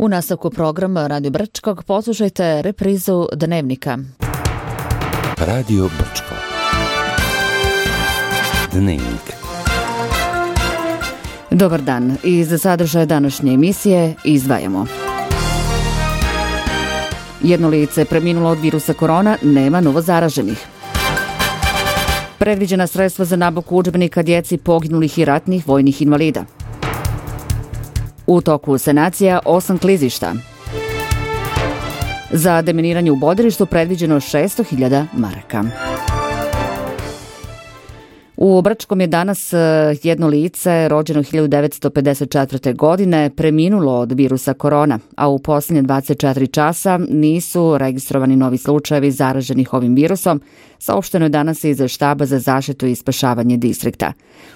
U nastavku programa Radio Brčkog poslušajte reprizu Dnevnika. Radio Brčko. Dnevnik. Dobar dan. Iz sadržaja današnje emisije izdvajamo. Jedno lice preminulo od virusa korona, nema novozaraženih. Predviđena sredstva za nabavku udžbenika djeci poginulih i ratnih vojnih invalida. U toku sanacija 8 klizišta. Za deminiranje u Boderištu predviđeno 600.000 maraka. U Brčkom je danas jedno lice rođeno 1954. godine preminulo od virusa korona, a u posljednje 24 časa nisu registrovani novi slučajevi zaraženih ovim virusom, saopšteno je danas iz štaba za zaštitu i spašavanje distrikta.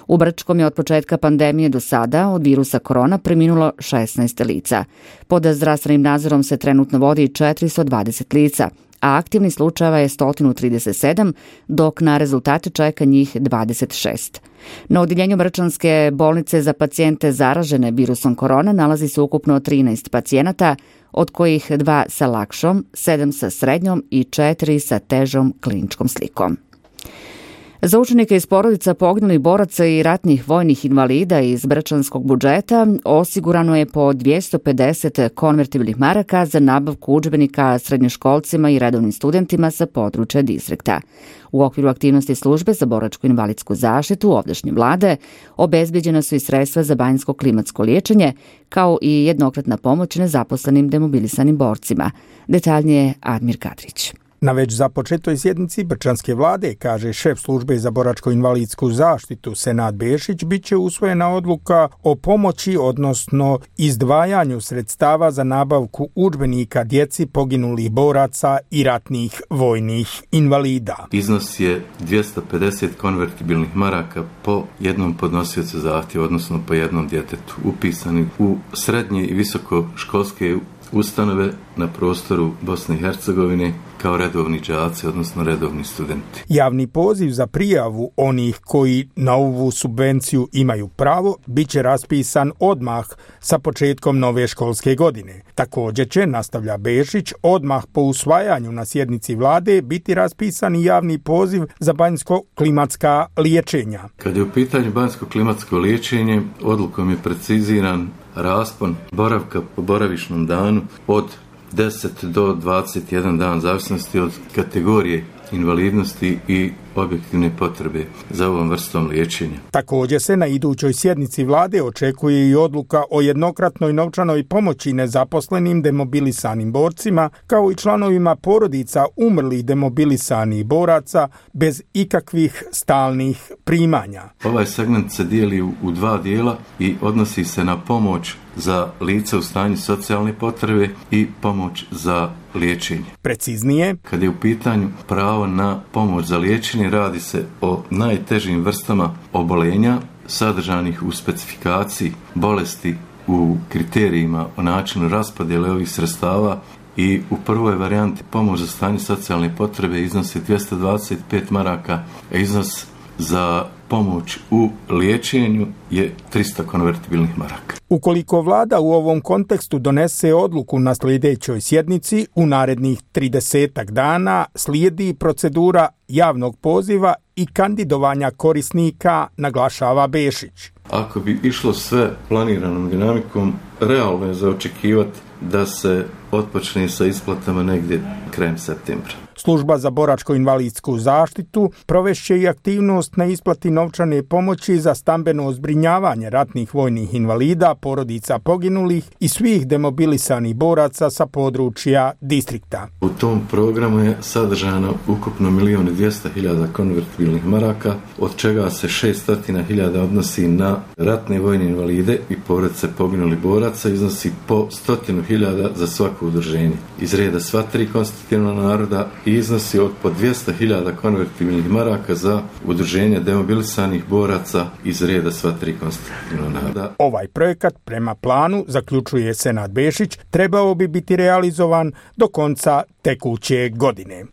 U Brčkom je od početka pandemije do sada od virusa korona preminulo 16 lica. Pod zdravstvenim nadzorom se trenutno vodi 420 lica, a aktivni slučajeva je 137, dok na rezultate čeka njih 26. Na odjeljenju Brčanske bolnice za pacijente zaražene virusom korona nalazi se ukupno 13 pacijenata, od kojih 2 sa lakšom, 7 sa srednjom i 4 sa težom kliničkom slikom. Za učenike iz porodica poginulih boraca i ratnih vojnih invalida iz brčanskog budžeta osigurano je po 250 konvertibilnih maraka za nabavku udžbenika srednjoškolcima i redovnim studentima sa područja distrikta. U okviru aktivnosti službe za boračko-invalidsku zaštitu ovdašnje vlade obezbeđena su i sredstva za banjsko klimatsko liječenje, kao i jednokratna pomoć nezaposlenim demobilisanim borcima. Detaljnije Admir Kadrić. Na već započetoj sjednici Brčanske vlade, kaže šef službe za boračko-invalidsku zaštitu Senad Bešić, bit će usvojena odluka o pomoći, odnosno izdvajanju sredstava za nabavku udžbenika djeci poginulih boraca i ratnih vojnih invalida. Iznos je 250 konvertibilnih maraka po jednom podnosiocu zahtjeva, odnosno po jednom djetetu, upisani u srednje i visokoškolske ustanove na prostoru Bosne i Hercegovine kao redovni đaci, odnosno redovni studenti. Javni poziv za prijavu onih koji na ovu subvenciju imaju pravo bit će raspisan odmah sa početkom nove školske godine. Također će, nastavlja Bešić, odmah po usvajanju na sjednici vlade biti raspisan i javni poziv za banjsko-klimatska liječenja. Kad je u pitanju banjsko-klimatsko liječenje, odlukom je preciziran raspon boravka po boravišnom danu od 10 do 21 dan, zavisnosti od kategorije invalidnosti i objektivne potrebe za ovom vrstom liječenja. Također se na idućoj sjednici vlade očekuje i odluka o jednokratnoj novčanoj pomoći nezaposlenim demobilisanim borcima, kao i članovima porodica umrlih demobilisanih boraca bez ikakvih stalnih primanja. Ovaj segment se dijeli u dva dijela i odnosi se na pomoć za lice u stanju socijalne potrebe i pomoć za liječenje. Preciznije, kad je u pitanju pravo na pomoć za liječenje, radi se o najtežim vrstama obolenja sadržanih u specifikaciji bolesti u kriterijima o načinu raspodjele ovih sredstava i u prvoj varijanti pomoć za stanje socijalne potrebe iznosi 225 maraka, a iznos za pomoć u liječenju je 300 konvertibilnih maraka. Ukoliko vlada u ovom kontekstu donese odluku na sljedećoj sjednici, u narednih 30 dana slijedi procedura javnog poziva i kandidovanja korisnika, naglašava Bešić. Ako bi išlo sve planiranom dinamikom, realno je za očekivati da se otpočne sa isplatama negdje krajem septembra. Služba za boračko-invalidsku zaštitu provešće i aktivnost na isplati novčane pomoći za stambeno zbrinjavanje ratnih vojnih invalida, porodica poginulih i svih demobilisanih boraca sa područja distrikta. U tom programu je sadržano ukupno 1.200.000 konvertibilnih maraka, od čega se 600.000 odnosi na ratne vojne invalide i porodice poginulih boraca, iznosi po 100.000 za svako udruženje. Iz reda sva tri konstitutivna naroda i iznosi od po 200.000 konvertibilnih maraka za udruženje demobilisanih boraca iz reda sva tri konstitutivna naroda. Ovaj projekat prema planu, zaključuje Senad Bešić, trebao bi biti realizovan do konca tekuće godine.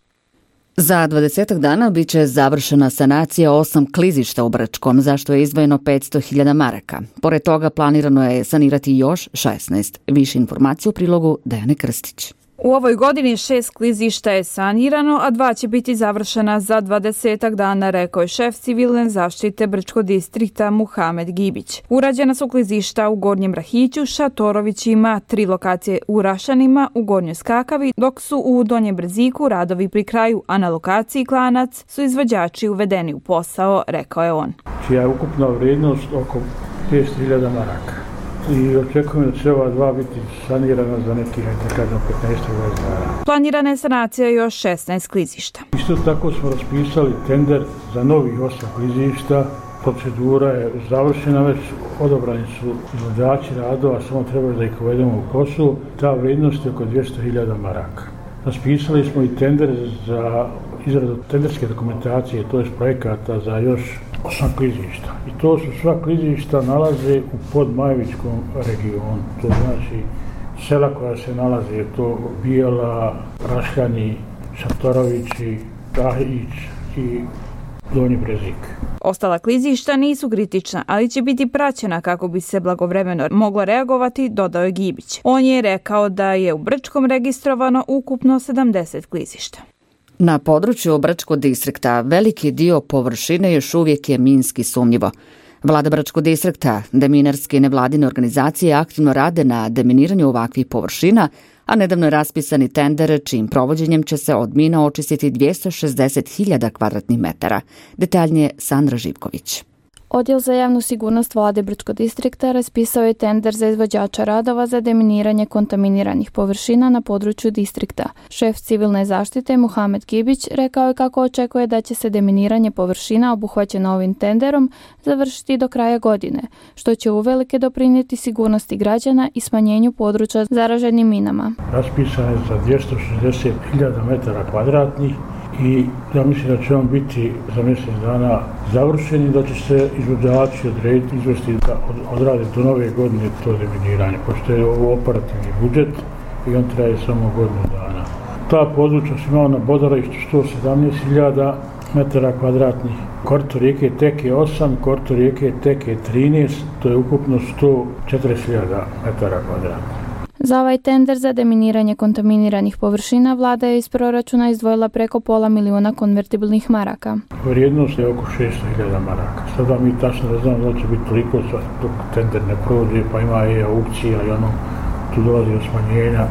Za 20 dana bit će završena sanacija 8 klizišta u Brčkom, za što je izdvojeno 500.000 maraka. Pored toga planirano je sanirati još 16. Više informacije u prilogu Dejane Krstić. U ovoj godini 6 klizišta je sanirano, a 2 će biti završena za 20 dana, rekao je šef civilne zaštite Brčkog distrikta Muhamed Gibić. Urađena su klizišta u Gornjem Rahiću, Šatorovićima, 3 lokacije u Rašanima, u Gornjoj Skakavi, dok su u Donjem Brziku radovi pri kraju, a na lokaciji Klanac su izvođači uvedeni u posao, rekao je on. Čija je ukupna vrijednost oko 500.000 maraka. I očekujem da će ova 2 biti sanirana za nekih 15-20 dana. Planirana je sanacija još 16 klizišta. Isto tako smo raspisali tender za novih 8 klizišta. Procedura je završena, već odabrani su izvođači radova, samo treba da ih uvedemo u posao. Ta vrijednost je oko 200.000 maraka. Raspisali smo i tender za izradu tenderske dokumentacije, to je projekata za još 8 klizišta. I to su sva klizišta nalaze u podmajevičkom regionu. To znači sela koja se nalaze, to Bijela, Rašljani, Šatorovići, Rahić i Donji Brezik. Ostala klizišta nisu kritična, ali će biti praćena kako bi se blagovremeno moglo reagovati, dodao je Gibić. On je rekao da je u Brčkom registrovano ukupno 70 klizišta. Na području Brčkog distrikta veliki dio površine još uvijek je minski sumnjivo. Vlada Brčkog distrikta, deminarske nevladine organizacije aktivno rade na deminiranju ovakvih površina, a nedavno je raspisani tender čijim provođenjem će se od mina očistiti 260.000 kvadratnih metara. Detaljnije Sandra Živković. Odjel za javnu sigurnost vlade Brčkog distrikta raspisao je tender za izvođača radova za deminiranje kontaminiranih površina na području distrikta. Šef civilne zaštite Muhamed Gibić rekao je kako očekuje da će se deminiranje površina obuhvaćeno ovim tenderom završiti do kraja godine, što će uvelike doprinijeti sigurnosti građana i smanjenju područja zaraženim minama. Raspisan je za 260.000 metara kvadratnih i ja mislim da će on biti za mjesec dana završen i da će se izvođači odrediti, izvesti da odrade do nove godine to deminiranje, pošto je ovo operativni budžet i on traje samo godinu dana. Ta područja su imala na bodarištu 117.000 metara kvadratnih, korito rijeke Teke 8, korito rijeke Teke 13, to je ukupno 140.000 metara kvadratnih. Za ovaj tender za deminiranje kontaminiranih površina vlada je iz proračuna izdvojila preko $500.000 konvertibilnih maraka. Vrijednost je oko 600.000 maraka. Sada mi tačno ne znamo da će biti toliko dok tender ne prođe, pa ima i aukcija i tu dolazi do smanjenja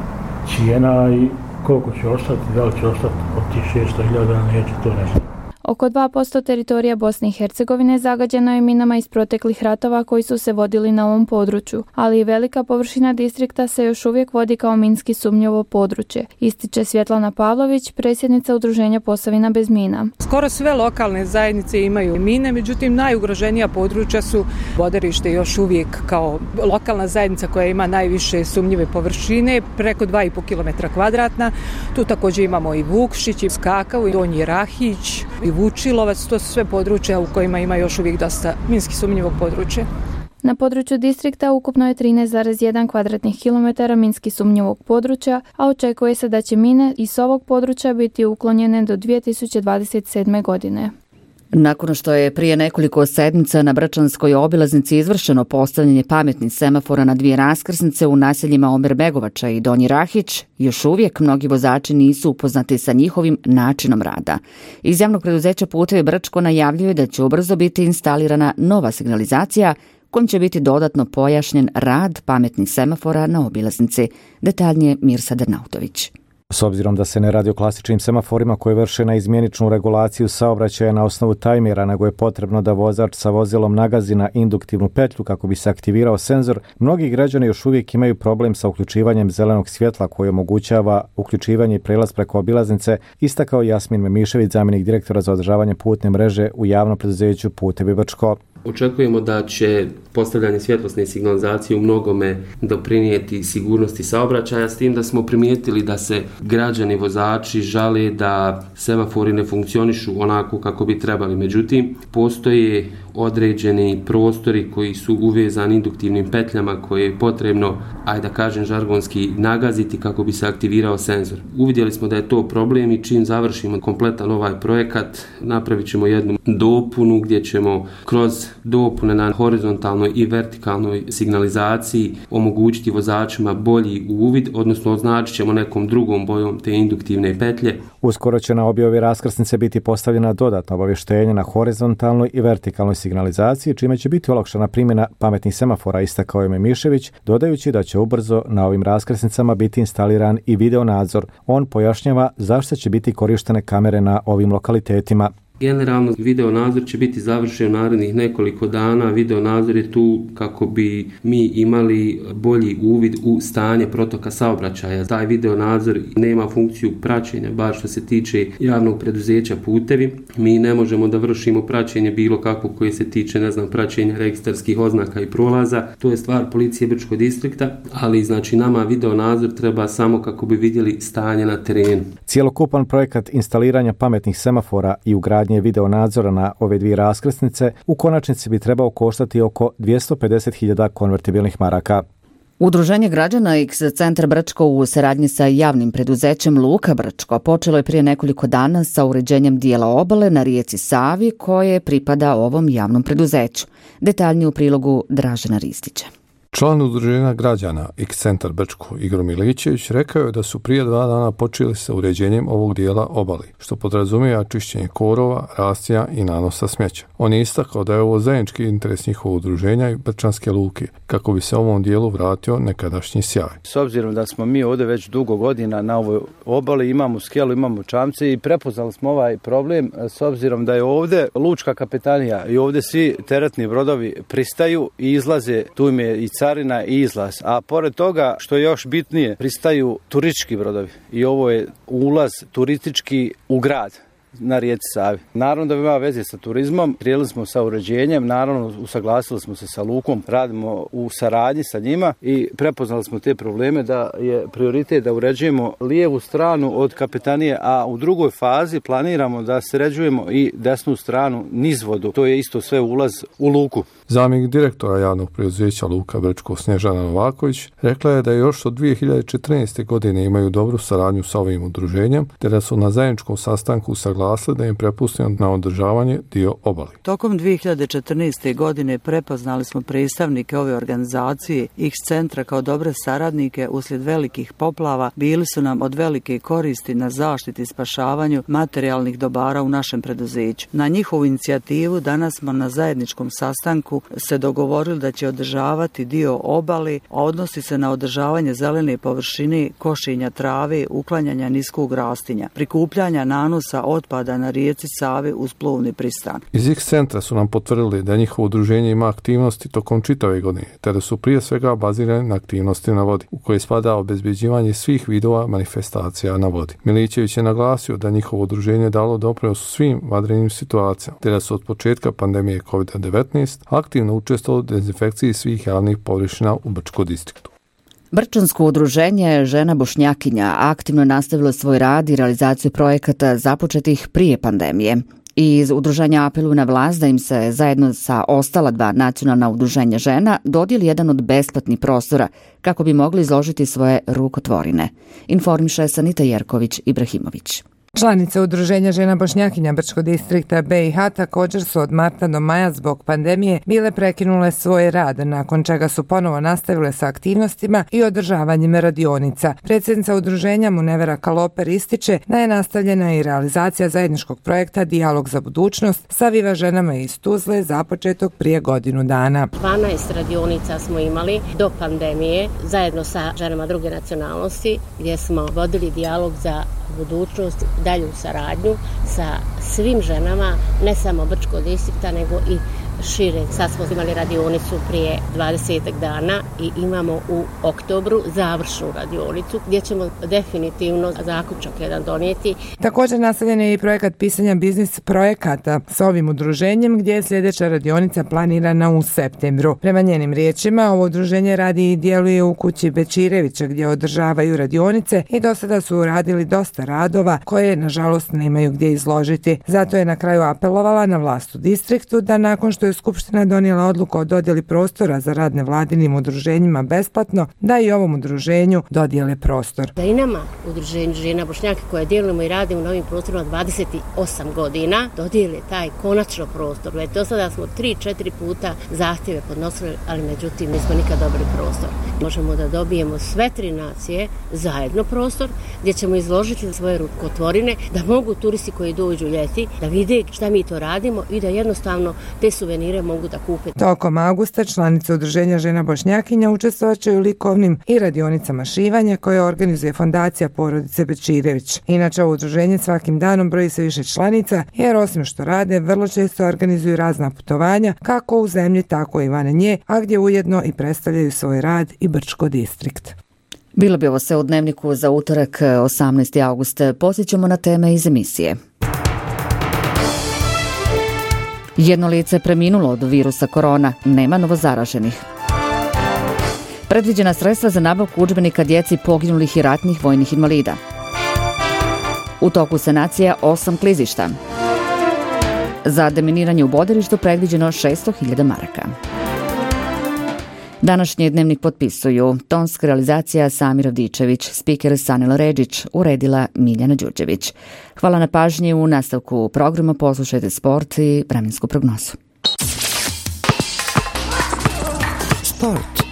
cijena i koliko će ostati, da li će ostati od tih 600.000, neće, to ne znam. Oko 2% teritorija Bosne i Hercegovine zagađeno je minama iz proteklih ratova koji su se vodili na ovom području, ali i velika površina distrikta se još uvijek vodi kao minski sumnjivo područje, ističe Svjetlana Pavlović, predsjednica udruženja Posavina bez mina. Skoro sve lokalne zajednice imaju mine, međutim najugroženija područja su Bodarište još uvijek kao lokalna zajednica koja ima najviše sumnjive površine, preko 2,5 km kvadratna. Tu također imamo i Vukšić, i Skakavu, i Donji Rahić, i Vučilovac, to su sve područja u kojima ima još uvijek dosta minski sumnjivog područja. Na području distrikta ukupno je 13,1 kvadratnih kilometara minski sumnjivog područja, a očekuje se da će mine iz ovog područja biti uklonjene do 2027. godine. Nakon što je prije nekoliko sedmica na Brčanskoj obilaznici izvršeno postavljanje pametnih semafora na 2 raskrsnice u naseljima Omerbegovača i Donji Rahić, još uvijek mnogi vozači nisu upoznati sa njihovim načinom rada. Iz javnog preduzeća Putevi Brčko najavljuje da će ubrzo biti instalirana nova signalizacija kojim će biti dodatno pojašnjen rad pametnih semafora na obilaznici. Detaljnije Mirsa Dernautović. S obzirom da se ne radi o klasičnim semaforima koji vrše na izmjeničnu regulaciju saobraćaja na osnovu tajmera, nego je potrebno da vozač sa vozilom nagazi na induktivnu petlju kako bi se aktivirao senzor, mnogi građani još uvijek imaju problem sa uključivanjem zelenog svjetla koji omogućava uključivanje i prelaz preko obilaznice, istakao Jasmin Memišević, zamjenik direktora za održavanje putne mreže u javnom preduzeću Putevi Brčko. Očekujemo da će postavljanje svjetlosne signalizacije u mnogome doprinijeti sigurnosti saobraćaja, s tim da smo primijetili da se građani, vozači žale da semafori ne funkcionišu onako kako bi trebali. Međutim, postoje određeni prostori koji su uvezani induktivnim petljama koje je potrebno, ajde da kažem žargonski, nagaziti kako bi se aktivirao senzor. Uvidjeli smo da je to problem i čim završimo kompletan ovaj projekat, napravit ćemo jednu dopunu gdje ćemo kroz dopune na horizontalnoj i vertikalnoj signalizaciji omogućiti vozačima bolji uvid, odnosno označit ćemo nekom drugom bojom te induktivne petlje. Uskoro će na obje raskrsnice biti postavljena dodatna obavještenja na horizontalnoj i vertikalnoj signalizaciji, čime će biti olakšana primjena pametnih semafora, istakao je Memišević, dodajući da će ubrzo na ovim raskrsnicama biti instaliran i video nadzor. On pojašnjava zašto će biti korištene kamere na ovim lokalitetima. Generalno, video nadzor će biti završen u narednih nekoliko dana. Video nadzor je tu kako bi mi imali bolji uvid u stanje protoka saobraćaja. Taj video nadzor nema funkciju praćenja, bar što se tiče javnog preduzeća Putevi. Mi ne možemo da vršimo praćenje bilo kako koje se tiče, praćenja registarskih oznaka i prolaza. To je stvar policije Brčkog distrikta, ali znači nama video nadzor treba samo kako bi vidjeli stanje na terenu. Cijelokupan projekat instaliranja pametnih semafora i ugradnje video nadzora na ove dvije raskrsnice u konačnici bi trebao koštati oko 250.000 konvertibilnih maraka. Udruženje građana X Centar Brčko u saradnji sa javnim preduzećem Luka Brčko počelo je prije nekoliko dana sa uređenjem dijela obale na rijeci Savi koje pripada ovom javnom preduzeću. Detaljnije u prilogu Dražena Ristića. Član udruženja građana X Centar Brčko Igor Milićević rekao je da su prije 2 dana počeli sa uređenjem ovog dijela obali, što podrazumijeva čišćenje korova, rascija i nanosa smeća. On je istakao da je ovo zajednički interes njihovog udruženja i Brčanske luke, kako bi se ovom dijelu vratio nekadašnji sjaj. S obzirom da smo mi ovdje već dugo godina na ovoj obali, imamo skelu, imamo čamce i prepoznali smo ovaj problem s obzirom da je ovdje lučka kapetanija i ovdje svi teretni brodovi pristaju i izlaze, tu im je i carina i izlaz, a pored toga što je još bitnije, pristaju turistički brodovi i ovo je ulaz turistički u grad na rijeci Savi. Naravno da ima veze sa turizmom, krenuli smo sa uređenjem, naravno usaglasili smo se sa lukom, radimo u saradnji sa njima i prepoznali smo te probleme da je prioritet da uređujemo lijevu stranu od kapetanije, a u drugoj fazi planiramo da sređujemo i desnu stranu nizvodu, to je isto sve ulaz u luku. Zamjenik direktora javnog preduzeća Luka Brčko Snježana Novaković rekla je da još od 2014. godine imaju dobru saradnju sa ovim udruženjem, te da su na zajedničkom sastanku saglasili da im prepustimo na održavanje dio obali. Tokom 2014. godine prepoznali smo predstavnike ove organizacije X centra kao dobre saradnike uslijed velikih poplava, bili su nam od velike koristi na zaštiti i spašavanju materijalnih dobara u našem preduzeću. Na njihovu inicijativu danas smo na zajedničkom sastanku se dogovorili da će održavati dio obale, a odnosi se na održavanje zelene površine, košenja trave, uklanjanja niskog rastinja, prikupljanja nanosa otpada na rijeci Savi uz plovni pristan. Iz X centra su nam potvrdili da njihovo udruženje ima aktivnosti tokom čitave godine, te da su prije svega bazirane na aktivnosti na vodi, u koje spada obezbeđivanje svih vidova manifestacija na vodi. Milićević je naglasio da njihovo udruženje dalo doprinos svim vanrednim situacijama, te da su od početka pandemije COVID-19 aktivno učestvovali u dezinfekciji svih javnih površina u Brčkom distriktu. Brčansko udruženje Žena Bošnjakinja aktivno nastavilo svoj rad i realizaciju projekata započetih prije pandemije. Iz udruženja apeluju na vlast da im se zajedno sa ostala 2 nacionalna udruženja žena dodijeli jedan od besplatnih prostora kako bi mogli izložiti svoje rukotvorine. Informiše Sanita Jerković Ibrahimović. Članice udruženja Žena Bošnjakinja Brčkog distrikta BiH također su od marta do maja zbog pandemije bile prekinule svoj rad, nakon čega su ponovo nastavile sa aktivnostima i održavanjem radionica. Predsjednica udruženja Munevera Kaloper ističe da je nastavljena i realizacija zajedničkog projekta Dijalog za budućnost sa Viva ženama iz Tuzle započetog prije godinu dana. 12 radionica smo imali do pandemije zajedno sa ženama druge nacionalnosti gdje smo vodili dijalog za budućnost, dalju saradnju sa svim ženama, ne samo Brčkog distrikta, nego i šire. Sad smo imali radionicu prije 20 dana i imamo u oktobru završnu radionicu gdje ćemo definitivno zaključak jedan donijeti. Također nastavljen je i projekat pisanja biznis projekata s ovim udruženjem gdje je sljedeća radionica planirana u septembru. Prema njenim riječima, ovo udruženje radi i djeluje u kući Bečirevića gdje održavaju radionice i do sada su radili dosta radova koje nažalost nemaju gdje izložiti. Zato je na kraju apelovala na vlast u distriktu da nakon što je Skupština donijela odluku o dodjeli prostora za rad nevladinim udruženjima besplatno, da i ovom udruženju dodijele prostor. Da i nama, udruženju žena Bošnjaka koje djelujemo i radimo na ovim prostorima 28 godina, dodijeli taj konačno prostor. Već do sada smo 3-4 puta zahtjeve podnosili, ali međutim nismo nikad dobili prostor. Možemo da dobijemo sve 3 nacije zajedno prostor gdje ćemo izložiti svoje rukotvorine, da mogu turisti koji dođu ljeti da vide šta mi to radimo i da jednostavno te suvenire mogu da kupe. Tokom augusta članice Udruženja žena Bošnjakinja učestvovaće u likovnim i radionicama šivanja koje organizuje fondacija porodice Bečirević. Inače, ovo udruženje svakim danom broji se više članica, jer osim što rade, vrlo često organizuju razna putovanja, kako u zemlji, tako i van nje, a gdje ujedno i predstavljaju svoj rad i Brčko distrikt. Bilo bi ovo sve u Dnevniku za utorak 18. august. Posjećamo na teme iz emisije. Jedno lice je preminulo od virusa korona, nema novozaraženih. Predviđena sredstva za nabavku udžbenika djeci poginulih i ratnih vojnih invalida. U toku sanacija 8 klizišta. Za deminiranje u Boderištu predviđeno 600.000 maraka. Današnji Dnevnik potpisuju tonska realizacija Samir Avdičević, spiker Sanela Redžić, uredila Miljana Đurđević. Hvala na pažnji, u nastavku programa poslušajte sport i vremensku prognozu. Sport.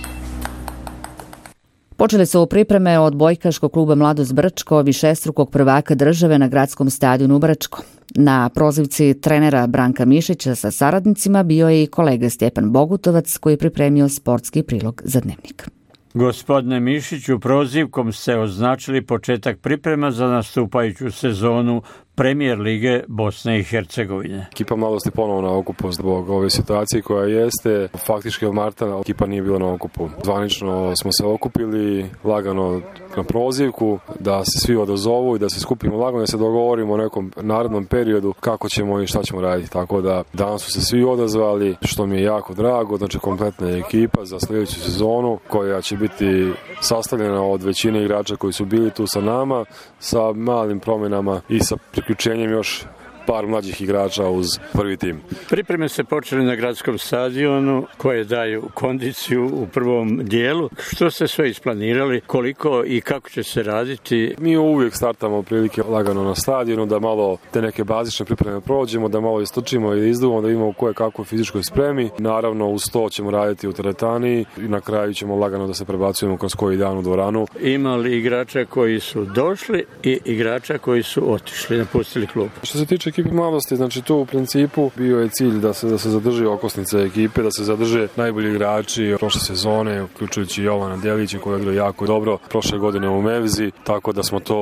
Počeli su pripreme od bojkaškog kluba Mladost Brčko, višestrukog prvaka države na gradskom stadionu u Brčko. Na prozivci trenera Branka Mišića sa saradnicima bio je i kolega Stjepan Bogutovac koji je pripremio sportski prilog za Dnevnik. Gospodine Mišiću, prozivkom ste označili početak priprema za nastupajuću sezonu Premijer lige Bosne i Hercegovine. Ekipa Mladosti ponovo na okupu zbog ove situacije koja jeste. Faktički od marta ekipa nije bila na okupu. Zvanično smo se okupili lagano na prozivku da se svi odazovu i da se skupimo lagano, da se dogovorimo o nekom narednom periodu kako ćemo i šta ćemo raditi. Tako da danas su se svi odazvali, što mi je jako drago. Znači kompletna ekipa za sljedeću sezonu koja će biti sastavljena od većine igrača koji su bili tu sa nama, sa malim promjenama i sa priključenjem još par mlađih igrača uz prvi tim. Pripreme se počeli na gradskom stadionu koje daju kondiciju u prvom dijelu. Što ste sve isplanirali, koliko i kako će se raditi? Mi uvijek startamo prilike lagano na stadionu, da malo te neke bazične pripreme prođemo, da malo istrčimo i izduvamo, da imamo koje kakvoj fizičkoj spremi. Naravno, uz to ćemo raditi u teretani i na kraju ćemo lagano da se prebacujemo kroz koji dan u dvoranu. Ima li igrača koji su došli i igrača koji su otišli, napustili klub? Što se tiče ekipe Mladosti, znači tu u principu bio je cilj da se zadrži okosnica ekipe, da se zadrže najbolji igrači prošle sezone, uključujući Jovana Delića koji je igrao jako dobro prošle godine u Mevzi, tako da smo to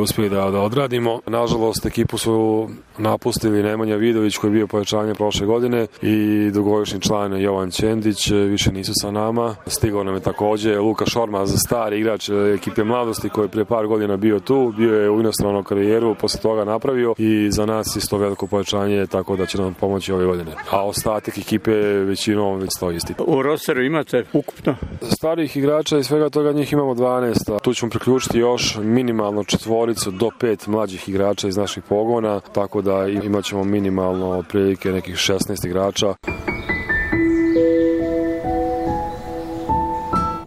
uspjeli da odradimo. Nažalost, ekipu su napustili Nemanja Vidović koji je bio pojačanje prošle godine i dugogodišnji član Jovan Ćendić, više nisu sa nama. Stigao nam je također Luka Šormaz, stari igrač ekipe Mladosti koji je prije par godina bio tu, bio je u inostranom karijeru, poslije toga napravio i za nas isto veliko pojačanje, tako da će nam pomoći ove godine. A ostatak ekipe većinom već stoji isti. U rosteru imate ukupno? Starih igrača i svega toga njih imamo 12. Tu ćemo priključiti još minimalno 4 do 5 mlađih igrača iz naših pogona, tako da imat ćemo minimalno otprilike nekih 16 igrača.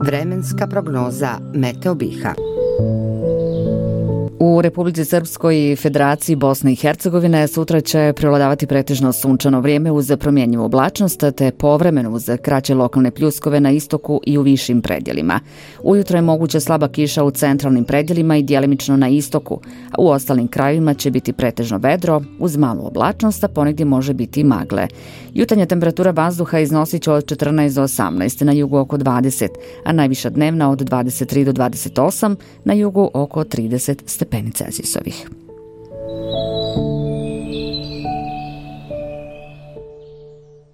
Vremenska prognoza Meteo Biha. U Republici Srpskoj i Federaciji Bosne i Hercegovine sutra će prevladavati pretežno sunčano vrijeme uz promjenjivu oblačnost te povremeno uz kraće lokalne pljuskove na istoku i u višim predjelima. Ujutro je moguća slaba kiša u centralnim predjelima i djelimično na istoku, a u ostalim krajevima će biti pretežno vedro uz malu oblačnost, a ponegdje može biti i magle. Jutarnja temperatura vazduha iznosit će od 14 do 18, na jugu oko 20, a najviša dnevna od 23 do 28, na jugu oko 30 stepeni Celzijusovih.